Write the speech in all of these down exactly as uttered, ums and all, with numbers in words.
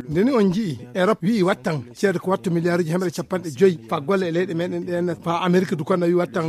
Nde ni on njii Erop wi'i wattan ceede ko wattu miliyaruuji hemre capanɗe joyi faa golle e leyɗe meɗen ɗen, faa Amerik du konna wi'i wattan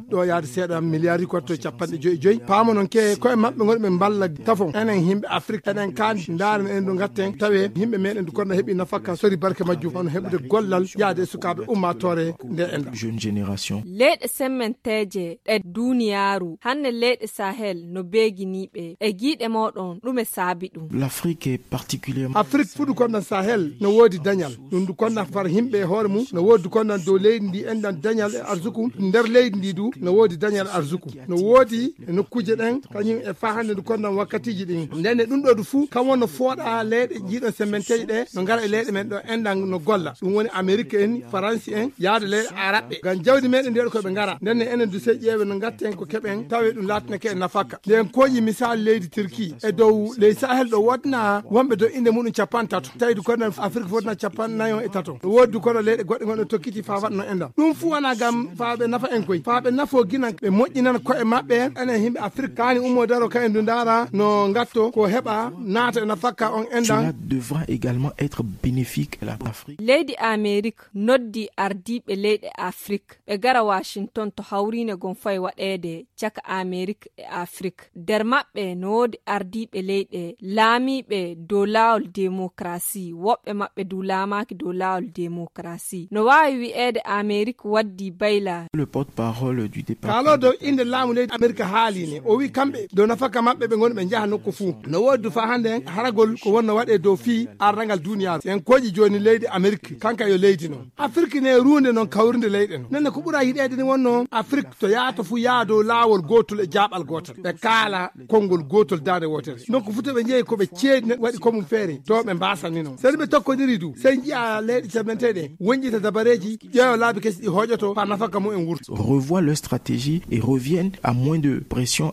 ɗo yaade seeɗa miliyaruuji ko wattu capanɗe joyi joyi. Paamo non ke koye maɓɓe ngoni ɓe mballa tafon enen himɓe Afrik, eɗen kaani ndaaren en du ngatten tawe himɓe meɗen du konna heɓi nafaka sori barke majjum, hono heɓude gollal yaade e sukaaɓe ummaatoore nde enɗa. Jeune génération. Leyɗe semmenteeje ɗe duniyaaru, hanne leyɗe Sahel no beeginiiɓe e giiɗe mooɗon, ɗume saabi ɗum? L'Afrique est particulièrement Afrik fuɗu konnan Sahel no woodi dañal. Ɗum du konnan far himɓe e hoore mum no woodi du konnan dow leydi ndi enɗan dañal e arsuku. Nder leydi ndi du no woodi dañal e arsuku. No woodi e nokkuuje ɗen kañum e faa hannde du konnan wakkatiiji ɗin. Nden e ɗum ɗo du fuu kam wonno fooɗa leyɗe jiiɗon semmenteeje ɗe no ngara e leyɗe men ɗo enɗan no golla. Ɗum woni Amerik en, Faransi en, yaade leyɗe Araɓɓe. Ngam jawdi meɗen ndi waɗi ko ɓe ngara. Nden ne enen du sey ƴeewe no ngatten ko keɓen tawe ɗum laatinake en nafaka. Nden kooƴi misal leydi Turki e dow ley Sahel ɗo woodna wonɓe dow innde muɗum capanɗe tato. Tawi du kono Afrik fotna capanɗe nayo e tato. No woodi du kono leyɗe goɗɗe gonɗe tokkiti faa waɗno enɗan. Ɗum fuu wona ngam faa ɓe nafa en koy. Faa ɓe nafo ginan ɓe moƴƴinan ko'e maɓɓe. Enen himɓe Afrik kaani ummo daro ka en du ndaara no ngatto ko heɓa naata e nafaka on enɗan. Cela devra également être bénéfique à l'Afrique. Leydi Amerik noddi ardiiɓe leyɗe Afrik ɓe gara Washington to hawriine gon fay waɗeede caka Amerik e Afrik. Nder maɓɓe no woodi ardiiɓe leyɗe laamiiɓe dow laawol demokrasi, woɓɓe maɓɓe du laamaaki dow laawol demokrasi. No waawi wi'eede Amerik waddi bayla. Le porte-parole du département Kaalo dow innde laamu leydi Amerik haaliine. O wi'i kamɓe dow nafaka maɓɓe ɓe ngoni ɓe njaha nokku fuu. No woodi du faa hannde haragol ko wonno waɗee dow fii ardangal duniyaaru. En kooƴi jooni leydi Amerik, kanka yo leydi non. Afrik ne ruunde non kawrinde leyɗe non. Nenne ko ɓura yiɗeede ni wonno Afrik to yaato fu yaa dow laawol gootol e jaaɓal gootal. Ɓe kaala konngol gootol daande wootere. Donc fu to ɓe njehi ko ɓe ceedi ne waɗi ko mum feere. To ɓe mbaasani non. Seni ɓe tokkondiri du. Sey njiya leyɗe cabenteɗe wonƴita dabareeji ƴeewa laabi kesi ɗi hooƴoto faa nafaka mum en wurta. Revoient leur stratégie et reviennent à moins de pression.